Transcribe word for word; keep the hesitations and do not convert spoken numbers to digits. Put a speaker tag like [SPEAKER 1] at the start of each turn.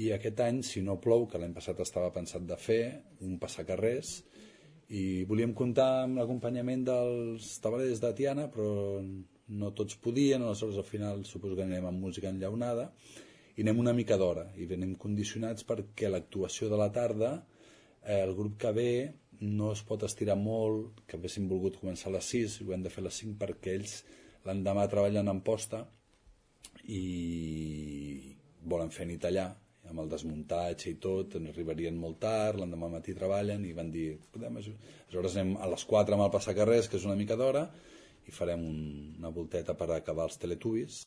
[SPEAKER 1] i aquest any, si no plou, que l'any passat estava pensat de fer, un passacarrers, i volíem comptar amb l'acompanyament dels tabalers de Tiana, però no tots podien, aleshores al final suposo que anem amb música enllaunada, i anem una mica d'hora, i venim condicionats perquè l'actuació de la tarda, eh, el grup que ve no es pot estirar molt, que haguéssim volgut començar a les sis, i ho hem de fer a les cinc perquè ells l'endemà treballen en posta i volen fer nit allà, amb el desmuntatge i tot, arribarien molt tard, l'endemà matí treballen i van dir, podem ajudar. Aleshores anem a les quatre amb el passacarrers, que és una mica d'hora, i farem un, una volteta per acabar els Teletubbies.